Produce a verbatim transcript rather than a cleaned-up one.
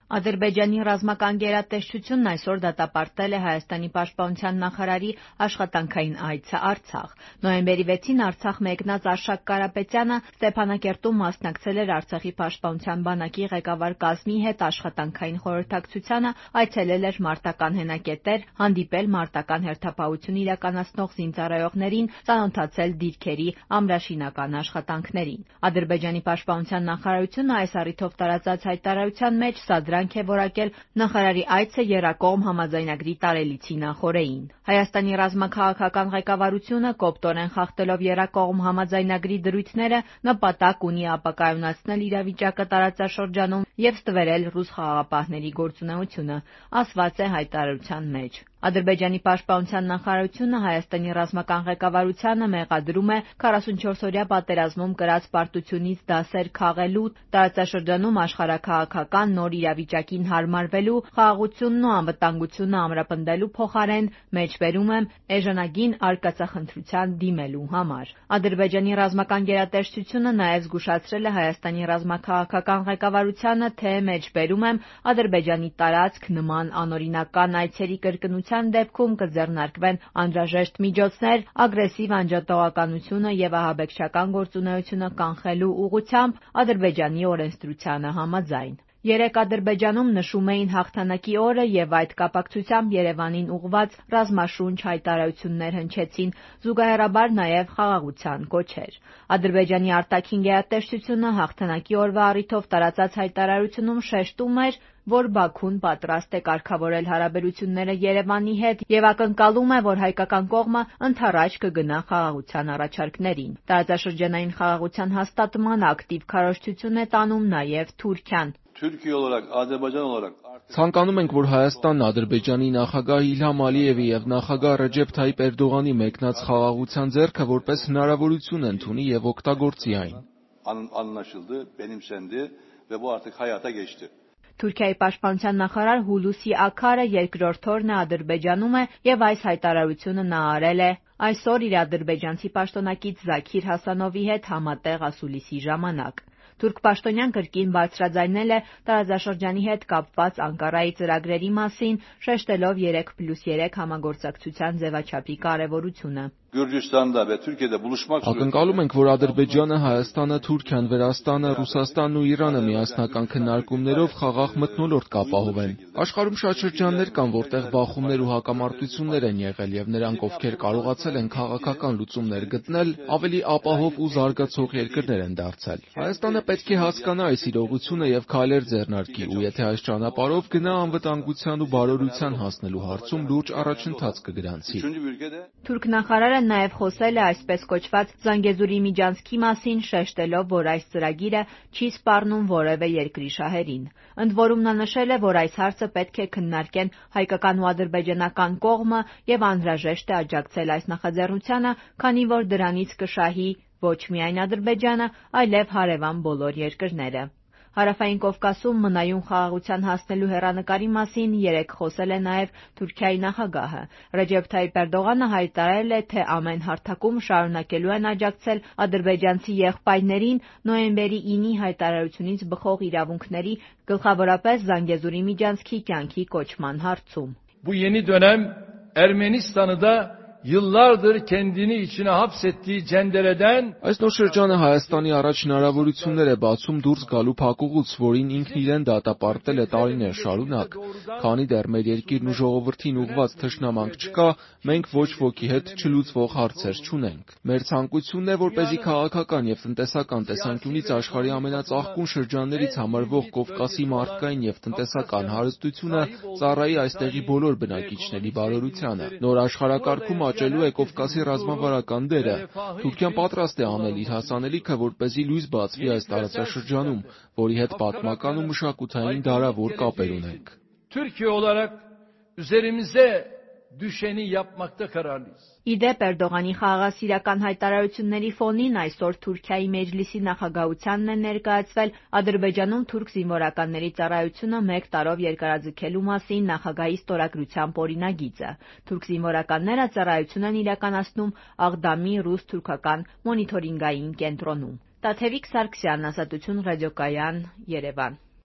Ադրբեջանի ռազմական գերատեսչությունն այսօր դատապարտել է Հայաստանի պաշտպանության նախարարի աշխատանքային այցը Արցախ։ Նոյեմբերի վեցին Արցախ մեկնած Արշակ Կարապետյանը Ստեփանակերտում մասնակցել էր Արցախի պաշտպանության բանակի ղեկավար կազմի հետ աշխատանքային խորհրդակցությանը, այցելել էր մարտական հենակետեր, հանդիպել մարտական հերթապահություն իրականացնող զինծառայողներին, ծանոթացել դիրքերի ամրաշինական աշխատանքներին։ Ադրբեջանի պաշտպանության նախարարությունը այս առիթով տարածած հայտարարության մեջ սադրանք է որակել նախարարի այցը եռակողմ համաձայնագրի տարելիցի նախօրեին։ Հայաստանի ռազմաքաղաքական ղեկավարությունը կոպտորեն խախտելով եռակողմ համաձայնագրի դրույթները նպատակ ունի ապակայունացնել իրավիճակը տարածաշրջանում և ստվերել ռուս խաղաղապահների գործունեությունը, ասված է հայտարարության մեջ։ Ադրբեջանի պաշտպանության նախարարությունը Հայաստանի ռազմական ղեկավարությանը մեղադրում է քառասունչորսօրյա պատերազմում կրած պարտությունից դասեր քաղելու, տարածաշրջանում աշխարհաքաղաքական նոր իրավիճակին հարմարվելու, խաղաղությունն ու անվտանգությունը ամրապնդելու փոխարեն մեջբերում եմ էժանագին արկածախնդրության դիմելու համար։ Ադրբեջանի ռազմական գերատեսչությունը նաև զգուշացրել է Հայաստանի ռազմաքաղաքական ղեկավարությանը, թե մեջբերում եմ Ադրբեջանի տարածք նման անօրինական այցերի կրկնության դեպքում կձեռնարկվեն անհրաժեշտ միջոցներ ագրեսիվ անջատողականությունը և ահաբեկչական գործունեությունը կանխելու ուղղությամբ Ադրբեջանի օրենսդրությանը համաձայն։ Երեկ Ադրբեջանում նշում էին հաղթանակի օրը և այդ կապակցությամբ Երևանին ուղղված ռազմաշունչ հայտարարություններ հնչեցին, զուգահեռաբար նաև խաղաղության կոչեր։ Ադրբեջանի արտաքին գերատեսչությունը հաղթանակի օրվա առիթով տարածած հայտարարությունում շեշտում էր, որ Բաքուն պատրաստ է կարգավորել հարաբերությունները Երևանի հետ և ակնկալում է, որ հայկական կողմը ընդառաջ կգնա խաղաղության առաջարկներին։ Տարածաշրջանային խաղաղության հաստատման ակտիվ քարոզչություն է տանում նաև Թուրքիան։ Ցանկանում ենք, որ Հայաստանն Ադրբեջանի նախագահ Իլհամ Ալիևի և նախագահ Ռեջեփ Թայիփ Էրդողանի մեկնած խաղաղության ձեռքը որպես հնարավորություն ընդունի և օգտագործի այն։ Թուրքիայի պաշտպանության նախարար Հուլուսի Աքարը երկրորդ օրն է Ադրբեջանում է և այս հայտարարությունը նա արել է այսօր իր ադրբեջանցի պաշտոնակից Զաքիր Հասանովի հետ համատեղ ասուլիսի ժամանակ։ Թուրք պաշտոնյան կրկին բարձրաձայնել է տարածաշրջանի հետ կապված Անկարայի ծրագրերի մասին, շեշտելով երեք պլյուս երեք համագործակցության ձևաչափի կարևորությունը։ Ակնկալում ենք, որ Ադրբեջանը, Հայաստանը, Թուրքիան, Վրաստանը, Ռուսաստանն ու Իրանը միասնական քննարկումներով խաղաղ մթնոլորտ կապահովեն։ Աշխարհում շատ շրջաններ կան, որտեղ բախումներ ու հակամարտություններ են եղել, և նրանք, ովքեր կարողացել են քաղաքական լուծումներ գտնել, ավելի ապահով ու զարգացող երկրներ են դարձել։ Հայաստանը պետք է հասկանա այս իրողությունը և քայլեր ձեռնարկի, ու եթե այս ճանապարհով գնա, անվտանգության ու բարօրության հասնելու հարցում լուրջ առաջընթաց կգրանցի։ Թուրք նախարարը նաև խոսել է այսպես կոչված Զանգեզուրի միջանցքի մասին, շեշտելով, որ այս ծրագիրը չի սպառնում որևէ երկրի շահերին։ Ընդ որում նա նշել է, որ այս հարցը պետք է քննարկեն հայկական ու ադրբեջանական կողմը և անհրաժեշտ է աջակցել այս նախաձեռնությանը, քանի որ դրանից կշահի ոչ միայն Ադրբեջանը, այլև հարևան բոլոր երկրները։ Հարավային Կովկասում մնայուն խաղաղության հասնելու հեռանկարի մասին երեկ խոսել է նաև Թուրքիայի նախագահը։ Ռեջեփ Թայիփ Էրդողանը հայտարարել է, թե ամեն հարթակում շարունակելու են աջակցել ադրբեջանցի եղբայրներին նոյեմբերի ինի հայտարարությունից բխող իրավունքների, գլխավորապես Զանգեզուրի միջանցքի կյանքի կոչման հարցում։ Bu yeni dönem Ermenistan'ı da yıllardır kendini içine hapsettiği cendereden Այս նոր շրջանը Հայաստանի առաջ հնարավորություններ է բացում դուրս գալու փակուղուց, որին ինքն իրեն դատապարտել է տարիներ շարունակ։ Քանի դեռ մեր երկիրն ու ժողովրդին ուղղված թշնամանք չկա, մենք ոչ ոքի հետ չլուծվող հարցեր չունենք։ Մեր ցանկությունն է, որպեսզի քաղաքական և տնտեսական տեսանկյունից աշխարհի ամենածաղկուն շրջաններից համարվող Կովկասի մարդկային և տնտեսական հարստությունը ծառայի այստեղի բոլոր բնակիչների բարօրությանը։ Նոր աշխարհակարգում աճելու է Կովկասի ռազմավարական դերը։ Թուրքիան պատրաստ է անել իր հասանելիքը, որպեսզի լույս բացվի այս տարածաշրջանում, որի հետ պատմական ու մշակութային դարավոր կապեր ունենք։ Türkiye olarak üzerimize düşeni yapmakta kararlıyız. Ի դեպ Էրդողանի խաղաղասիրական հայտարարությունների ֆոնին այսօր Թուրքիայի Մեջլիսի նախագահությանն է ներկայացվել Ադրբեջանում թուրք զինվորականների ծառայությունը մեկ տարով երկարաձգելու մասին նախագահի ստորագրությամբ օրինագիծը։ Թուրք զինվորականները ծառայություն են իրականացնում Աղդամի ռուս-թուրքական մոնիթորինգային կենտրոնում։ Տաթևիկ Սարգսյան, Ազատություն ռադիոկայան, Երևան։